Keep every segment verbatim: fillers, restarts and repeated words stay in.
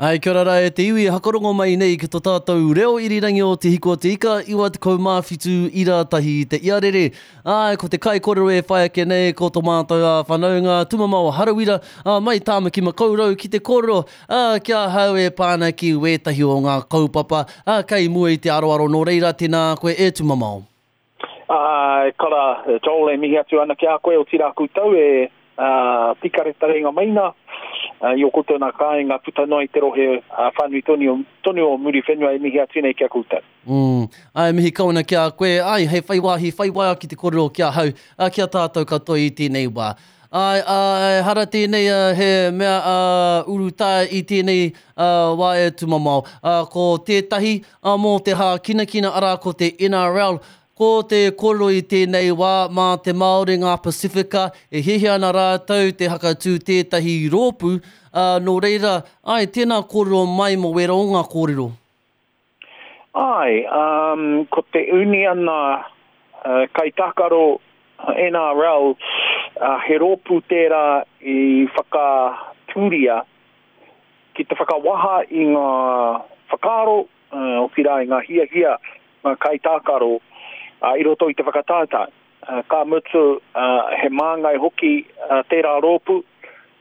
Ai, kia ora rā e te iwi, hakarongo mai nei ki tō tātou reo irirangi o Te Hiku o Te Ika, iwa tekau mā whitu ira tahi te iarere. Ai, ko te kaikorero e whai ake nei, ko tō mātou a whanaunga, Tumamao Harawira, a, mai Tāmaki Makaurau ki te kōrero, a, ki ahau e pā ana ki wētahi o ngā kaupapa, a, kei mua i te aroaro, nō reira, tēnā koe e Tumamao. Ai, kara, Joel, e mihi atu ana ki a koe, otirā koutou e uh, pikaretarenga maina, uh, i o koutou nā kāinga puta noa i te rohe uh, whānui tonu, tonu o Muriwhenua e mihi atu nei ki a koutou. Mm. Ai, mihi kau ana ki a koe, ai, hei whai wāhi, whai wā ki te kōrero ki ahau, uh, ki a tātou katoa i tēnei wā. Ai, ai, hara tēnei uh, he mea uh, urutā i tēnei uh, wā e Tumamao. Uh, ko tētahi uh, mō te hākinakina, arā ko te N R L, ko te kōrero i tēnei wā mā te Māori ngā Pasifika e hiahia ana rātou te hakatū tētahi rōpū, uh, nō reira, ai, tēnā kōrero mai mō wera o ngā kōrero. Ai, um, ko te uniana uh, kaitākaro N R L, uh, he rōpū tērā i whakatūria ki te whakawaha i ngā whakaaro, uh, otirā i ngā hiahia, ngā kaitākaro, uh, i roto i te whakataetae. Uh, ka mutu, uh, he māngai hoki uh, tērā rōpū,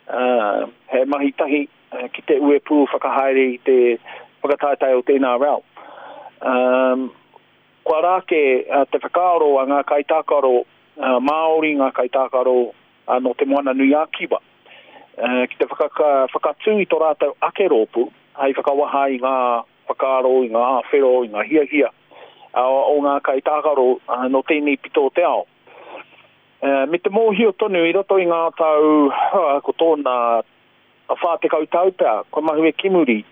uh, he mahi tahi uh, ki te uepū whakahaere i te whakataetae o te N R L. Um, kua rāke uh, te whakaaro a ngā kaitākaro uh, Māori, ngā kaitākaro uh, nō te Moana Nui a Kiwa, uh, ki te whakaka, whakatū i tō rātou ake rōpū, hei whakawaha i ngā whakaaro, i ngā āwhero, i ngā hiahia uh, o ngā kaitākaro uh, nō tēnei pito o te ao. Uh, me te mōhio tonu i roto i ngā tau, uh, ko tōna whā tekau tau pea, kua mahue ki muri,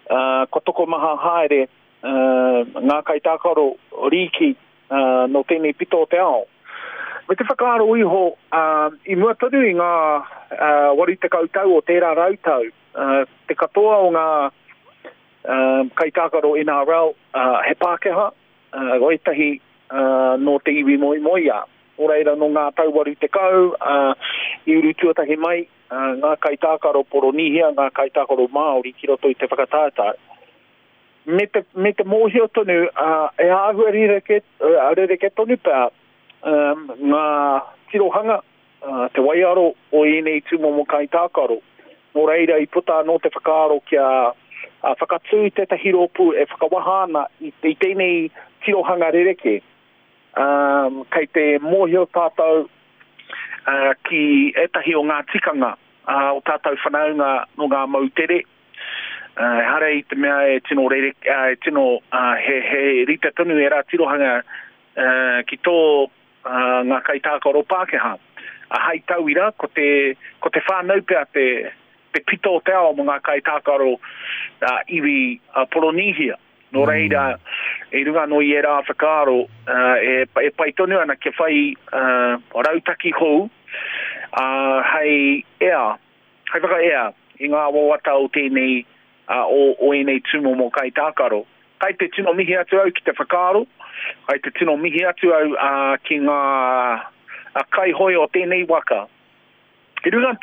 uh, kua tokomaha haere uh, ngā kaitākaro rīki uh, nō tēnei pito o te ao. Me te whakaaro iho, uh, i mua tonu i ngā uh, waru tekau tau o tērā rautau, uh, te katoa o ngā uh, kaitākaro N R L, uh, he Pākehā, uh, o ētahi uh, nō te iwi moemoeā. Nō reira nō ngā tau waru tekau, uh, i uru tuatahi mai, uh, ngā kaitākaro Poronihia, ngā kaitākaro Māori ki roto i te whakataetae. Me te, me te mōhio tonu, uh, e āhua rereke, uh, rereke tonu pea, um, ngā tirohanga, uh, te waiaro o ēnei tūmomo kaitākaro. Nō reira i puta anō te whakaaro kia uh, whakatū i tētahi rōpū e whakawaha ana i, i tēnei tirohanga rereke. Um, kei te mōhio tātou uh, ki ētahi o ngā tikanga uh, o tātou whanaunga nō ngā moutere. Uh, ehara i te mea e tino, rere, uh, e tino uh, he, he rite tonu e rā tirohanga uh, ki tō uh, ngā kaitākaro Pākehā. Uh, hai tauira, ko te, ko te whānau pea te, te pito o te ao mō ngā kaitākaro uh, iwi uh, Poronihia. Nō reira, e runga anō i ērā whakaaro, uh, e, e pai tonu ana kia whai uh, rautaki hou, uh, hei ea, hei whakaea i ngā wawata o tēnei, uh, o, o ēnei tūmomo kaitākaro. Kai te tino mihi atu au ki te whakaaro, kai te tino mihi atu au uh, ki ngā uh, kaihoe o tēnei waka. I runga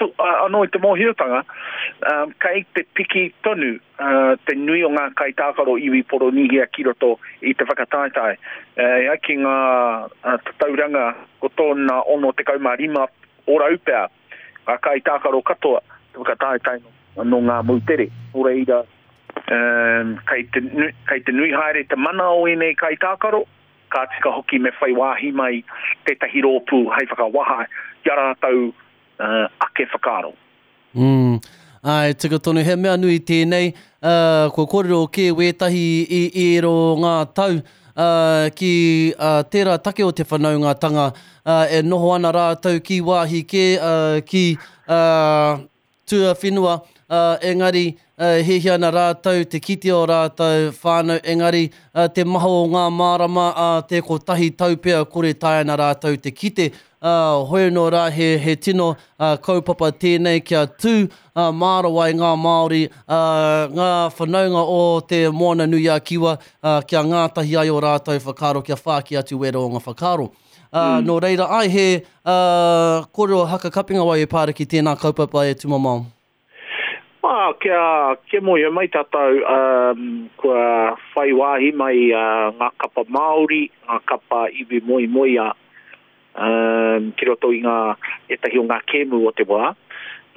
anō i te mōhiotanga, um, kei te piki tonu uh, te nui o ngā kaitākaro iwi Poronihia ki roto i te whakataetae. Uh, ki ngā uh, tatauranga ko tōna ono tekau mā rima ōrau pea, ngā kaitākaro katoa te whakataetae nō ngā moutere. Nō reira, um, kei te, kei te nui haere te mana o ēnei kaitākaro, ka tika hoki me whai wāhi mai tētahi rōpū hei whakawaha i a rātou Uh, ake whakaaro. Mm. Ai, tika tonu, he mea nui tēnei, uh, kua kōrero kē wētahi i, i ero ngā tau uh, ki uh, tērā take o te whanaungatanga, uh, e noho ana rātou ki wāhi kē, uh, ki uh, tuawhenua, uh, engari uh, hiahia ana rātou, te kite o rātou whānau, engari uh, te maha o ngā mārama, uh, te kotahi tau pea kore tae ana rātou te kite. Uh, hoi nō rā he, he tino uh, kaupapa tēnei kia tū uh, mārawa i ngā Māori, uh, ngā whanaunga o te Moana Nui a Kiwa, uh, kia ngātahi ai o rātou whakaaro, kia whāki atu wera o ngā whakaaro. Uh, mm. Nō reira, ai he uh, kōrero haka kapinga wai e pāra ki tēnā kaupapa e Tumamao. Ah, kia, kia mōhio mai tātou, um, kua whai wāhi mai uh, ngā kapa Māori, ngā kapa iwi moemoeā, um, ki roto i ngā ētahi o ngā kēmu o te wā.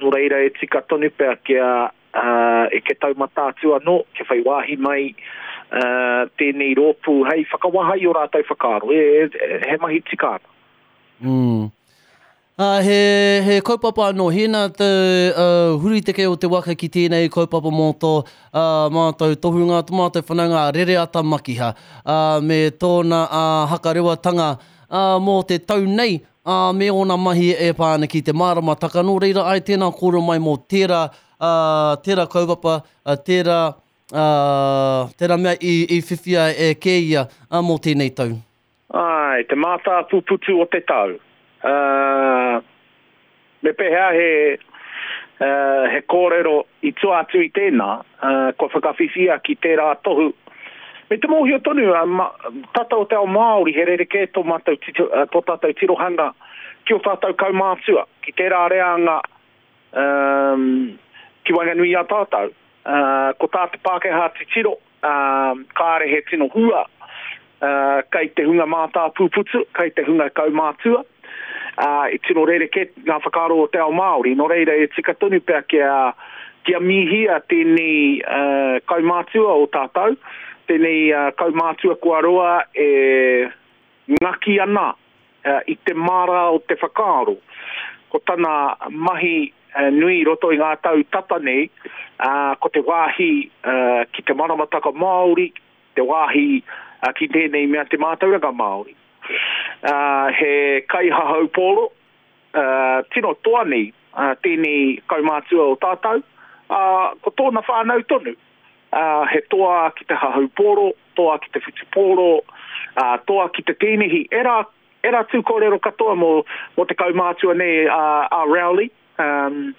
Nō reira e tika tonu pea kia uh, e ke taumata atu anō, kia whai wāhi mai uh, tēnei rōpū hei whakawaha i o rātou whakaaro. E, e, he mahi tika ana. Mm. Uh, he, he kaupapa anō, hēnā te uh, huriteke o te waka ki tēnei kaupapa mō tō uh, mātou tohunga, tō mātou whanaunga Rereata Makiha, uh, me tōna uh, hakarewatanga uh, mō te tau nei, uh, me ōna mahi e pā ana ki te māramataka. Nō reira ai tēnā kōrero mai mō tērā, uh, tērā kaupapa, uh, tērā, uh, tērā mea i, i whiwhia e kē ia uh, mō tēnei tau. Ai, te mātāpuputu o te tau. Uh, me pēhea he, uh, he kōrero i tua atu i tēnā, uh, kua whakawhiwhia ki tērā tohu. Me te mōhio tonu, uh, ma, tātou o te ao Māori, he rerekē tō, mātou tito, uh, tō tātou tirohanga ki o tātou kaumātua, ki tērā reanga um, ki waenganui i a tātou. Uh, ko tā te Pākehā titiro, uh, kāre he tino hua, uh, kei te hunga mātāpuputu, kei te hunga kaumātua. Uh, i tino rerekē ngā whakaaro o te ao Māori. Nō reira e tika tonu pea kia, kia mihia tēnei uh, kaumātua o tātou, tēnei uh, kaumātua kua roa e ngaki ana uh, i te māra o te whakaaro. Ko tana mahi uh, nui roto i ngā tau tata nei, uh, ko te wāhi uh, ki te maramataka Māori, te wāhi uh, ki tēnei mea te mātauranga Māori. Uh, he kaihahau pōro, uh, tino toa nei uh, tēnei kaumātua o tātou, uh, ko tōna whānau tonu. Uh, he toa ki te hahau pōro, toa ki te whutupōro, uh, toa ki te tēnehi. Era, era tū kōrero katoa mō, mō te kaumātua nei uh, a Rowley. Um,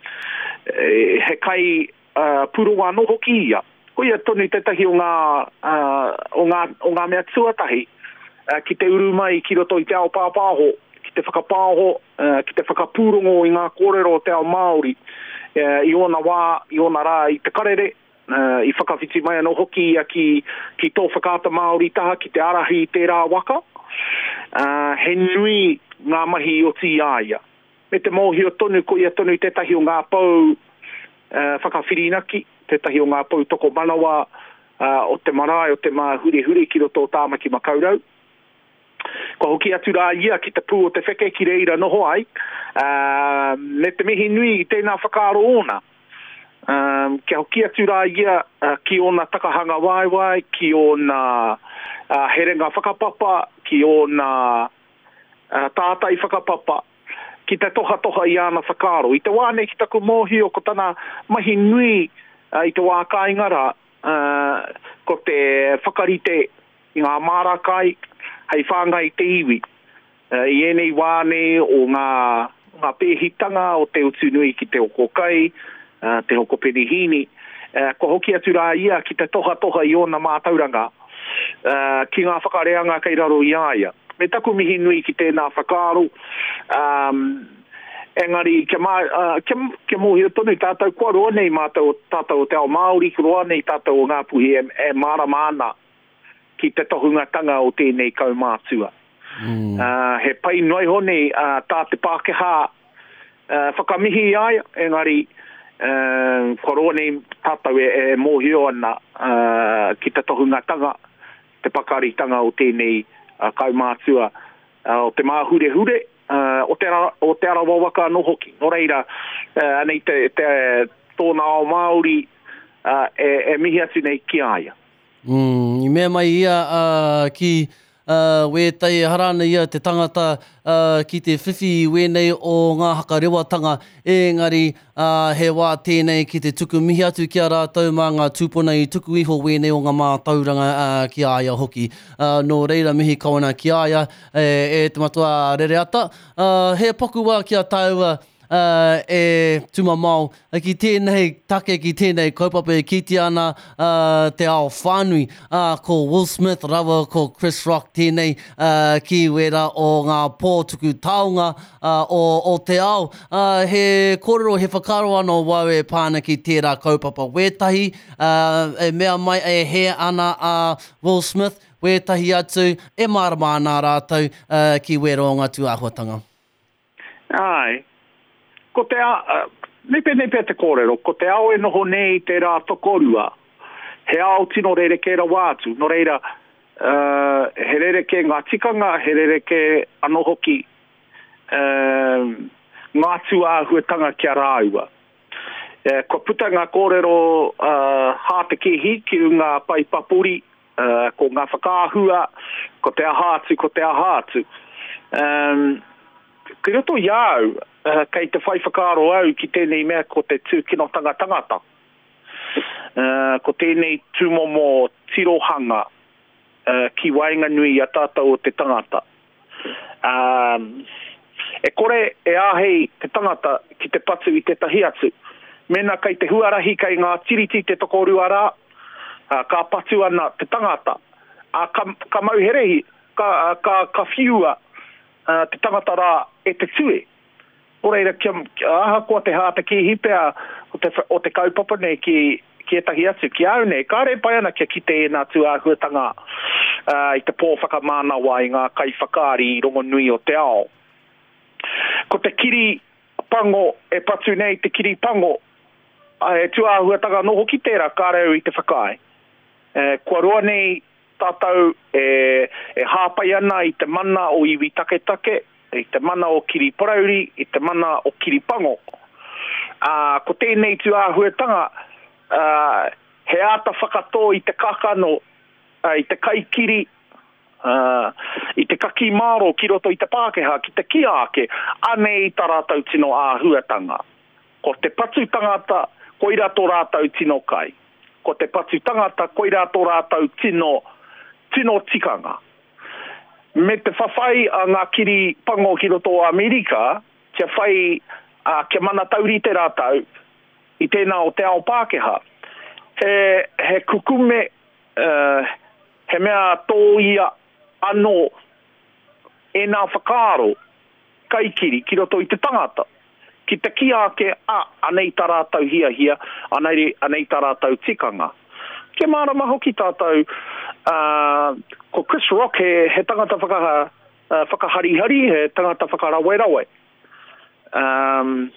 he kai uh, pūrongo anō hoki ia. Ko ia tonu tētahi o ngā, uh, o ngā, o ngā mea tuatahi ki te uru mai ki roto i te ao pāpāho, ki te whakapāho, ki te whakapūrongo i ngā kōrero o te ao Māori, i ōna wā, i ōna rā, i te karere, i whakawhiti mai anō hoki ia ki, ki tō whakaata Māori taha, ki te arahi i tērā waka. He nui ngā mahi i oti i a ia. Me te mōhio tonu, ko ia tonu tētahi o ngā pou whakawhirinaki, tētahi o ngā pou tokomanawa o te marae, o te Māhurehure ki roto o Tāmaki Makaurau. Kua hoki atu rā ia ki te pū o te wheke ki reira noho ai, uh, me te mihi nui i tēnā whakaaro ōna. Um, kia hoki atu rā ia uh, ki ōna takahanga waewae, ki ōna uh, herenga whakapapa, ki ōna uh, tātai whakapapa, ki te tohatoha i āna whakaaro. I te wā nei ki taku mōhio ko tana mahi nui uh, i te wā kāinga rā, uh, ko te whakarite i ngā māra kai, hei whāngai te iwi. Uh, I ēnei wā nei o ngā, ngā pēhitanga o te utu nui ki te hoko kai, uh, te hoko penihīni, uh, kua hoki atu rā ia ki te tohatoha i ōna mātauranga, uh, ki ngā whakareanga kei raro i a ia. Me taku mihi nui ki tēnā whakaaro, um, engari kia, mā, uh, kia, kia mōhio tonu tātou kua roa nei mātou, tātou o te ao Māori, kua roa nei tātou o Ngāpuhi e, e mārama ana ki te tohungatanga o tēnei kaumātua. Mm. Uh, he pai noa iho nei uh, tā te Pākehā uh, whakamihi i a ia, engari uh, kua roa nei tātou e, e mōhio ana uh, ki te tohungatanga, te pakaritanga o tēnei uh, kaumātua, uh, o te Māhurehure, uh, o te, ara, o te Arawa waka anō hoki. Nō reira, uh, anei te, te tōna ao Māori uh, e, e mihi atu nei ki a ia. Mm, i mea mai ia uh, ki uh, wētai harana ia te tangata uh, ki te whiwhi i wēnei o ngā hakarewatanga, engari uh, he wā tēnei ki te tuku mihi atu ki a rātou mā ngā tūpuna i tuku iho wēnei o ngā mātauranga uh, ki a ia hoki. Uh, nō reira mihi kawana ki a ia e, e te matua Rereata. Uh, he paku wā ki a tāua uh, e tumamao ki tēnei take, ki tēnei kaupapa e kitea ana uh, te ao whānui. Uh, ko Will Smith rawa ko Chris Rock tēnei uh, ki wera o ngā pō tuku taonga uh, o, o te ao. Uh, he kōrero, he whakaaro anō wau e pāna ki tērā kaupapa wētahi, uh, e mea mai e he ana a uh, Will Smith, wētahi atu e mārama ana rātou uh, ki wera o ngā tūāhuatanga. Ai, ko te a, uh, nepe nepe te kōrero, ko te ao e noho nei te rā tokorua, he ao tino rerekē rawa atu, nō reira, uh, he rerekē ngā tikanga, he rerekē anō hoki uh, ngā tūāhuatanga ki a rāua. Uh, kua puta ngā kōrero uh, hātekehi ki runga pai papuri, uh, ko ngā whakaahua, ko te aha atu, ko te aha atu. Um, ki roto i au, uh, kei te whai whakaaro au ki tēnei mea ko te tūkinotanga tangata. Uh, ko tēnei tūmomo tirohanga uh, ki waenganui i a tātou o te tangata. Um, e kore e āhei te tangata ki te patu i tētahi atu. Mēnā kei te huarahi kei ngā tiriti te tokorua rā, uh, ka patu ana te tangata. Uh, ka, ka mauherehi, ka, ka, ka whiua uh, te tangata rā e te tue. Nō reira, kia, kia ahakoa te hātekehi pea o te, o te kaupapa nei ki, ki ētahi atu, ki au nei, kāre pai ana kia kite e nā tūāhuatanga uh, i te pō whakamānawa i ngā kaiwhakaari rongonui o te ao. Ko te kiri pango e patu nei te kiri pango, e tūāhuatanga anō hoki tērā, kāre au i te whakaae. E, kua roa nei tātou e, e hāpai ana i te mana o iwi taketake, i te mana o kiri parauri, i te mana o kiri pango. Uh, ko tēnei tūāhuatanga, uh, he āta whakatō i te kakano, uh, i te kaikiri, uh, i te kaki māro ki roto i te Pākehā, ki te kia ake, anei tā rātou tino āhuatanga. Ko te patu tangata, koira tō rātou tino kai. Ko te patu tangata, koira tō rātou tino, tino tikanga. Me te whawhai a ngā kiri pango ki roto o Amerika, kia whai, uh, kia mana taurite rātou i tēnā o te ao Pākehā. He, he kukume, uh, he mea tōia anō e nā whakaaro kaikiri ki roto i te tangata. Ki te kia ake, a, anei tā rātou hiahia, anei, anei tā rātou tikanga. Kia mārama hoki tātou, uh, ko Chris Rock he, he tangata whaka, uh, whakaharihari, he tangata whakarawerawe. Um,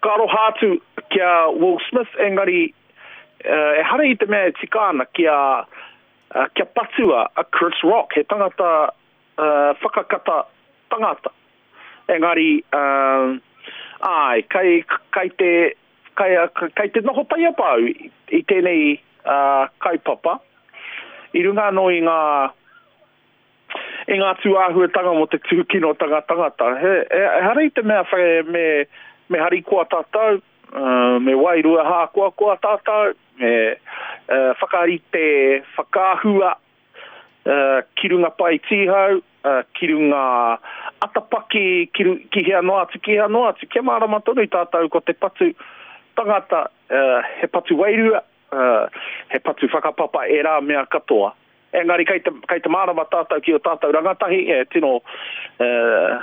ka aroha atu ki a Will Smith, engari uh, e hara i te mea e tika ana kia, uh, kia patua a Chris Rock, he tangata uh, whakakata tangata. Engari, uh, ai, kai, kai te, kai, kai te noho taiapa au i, i tēnei uh, kaupapa. I runga anō i ngā, i ngā tūāhuatanga mō te tūkinotanga tangata. He, e, ehara i te mea whai, me, me harikoa tātou, uh, me wairua hākoakoa tātou, me uh, whakarite whakaahua uh, ki runga pai tīhau, uh, ki runga atapaki, ki, ki hea noa atu, ki hea noa atu. Kia mārama tonu tātou ko te patu tangata, uh, he patu wairua, uh, he patu whakapapa e rā mea katoa. Engari kei te, kei te mārama tātou ki o tātou rangatahi, e tino, uh,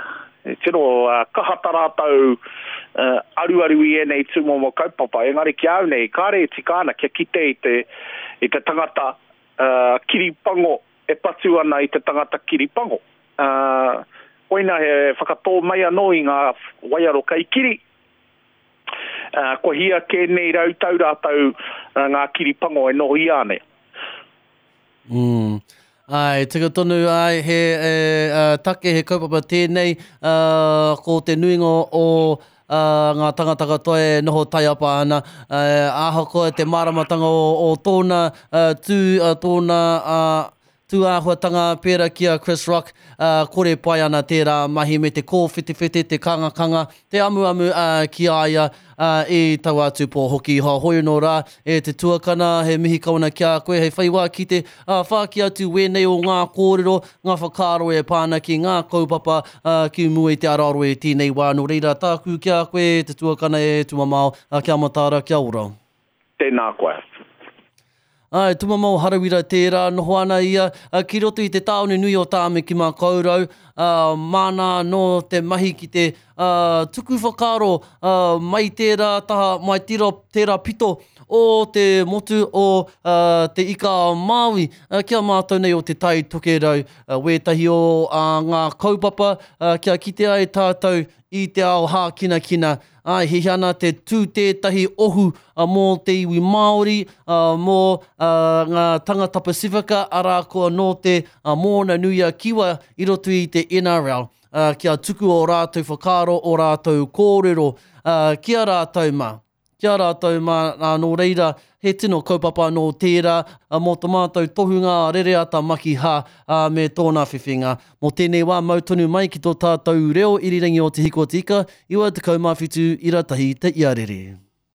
e tino uh, kaha tā rātou uh, aruaru i ēnei tūmomo kaupapa. Engari ki au nei, kāre e tika ana kia kite i te, i te tangata uh, kiri pango e patu ana i te tangata kiri pango. Uh, koina he whakatō mai anō i ngā waiaro kaikiri. Uh, kua hia kē nei rau tau rātou uh, ngā kiri pango e noho ia nei. Mm. Ai, tika tonu, ai, he e, uh, take, he kaupapa tēnei, uh, ko te nuinga o uh, ngā tangata katoa e noho taiapa ana, uh, ahakoa te māramatanga o, o tōna uh, tū, uh, tōna uh, tūāhuatanga pērā ki a Chris Rock, ā, kore pai ana tērā mahi me te kōwhetewhete, te kangakanga, te amuamu, ā, ki a ia, ā, i taua atu pō hoki. Heoi anō rā, e te tuakana, he mihi kau ana ki a koe, hei whai wā ki te, ā, whāki atu wēnei o ngā kōrero, ngā whakaaro e pā ana ki ngā kaupapa, ā, ki mua i te aroaro i tēnei wā. Nō reira, tāku ki a koe, e te tuakana, e Tumamao, ā, kia mataara, kia ora. Tēnā koe. Āe, Tumamao Harawira tērā, noho ana ia ki roto i te tāone nui o Tāmaki-makau-rau, ā, māna anō te mahi ki te tuku whakaaro mai tērā taha, mai tērā, tērā pito o te motu o Te Ika-a-Māui ki a mātou nei o Te Tai Tokerau, wētahi o ngā kaupapa kia kite ai tātou i te ao hākinakina. Āe, hiahia ana te tū tētahi ohu mō te iwi Māori, mō ngā tangata Pasifika, arā ko anō te Moana-nui-a-Kiwa i roto i te N R L, kia tuku ō rātou whakaaro, ō rātou kōrero ki a rātou mā. Ki a rātou mā, ā, nō reira, he tino kaupapa anō tērā mō to mātou tohunga a Rereata Makiha, ā, me tōna whiwhinga. Mō tēnei wā, mau tonu mai ki tō tātou reo irirangi o Te Hiko o Te Ika, iwa tekau mā whitu ira tahi te iarere.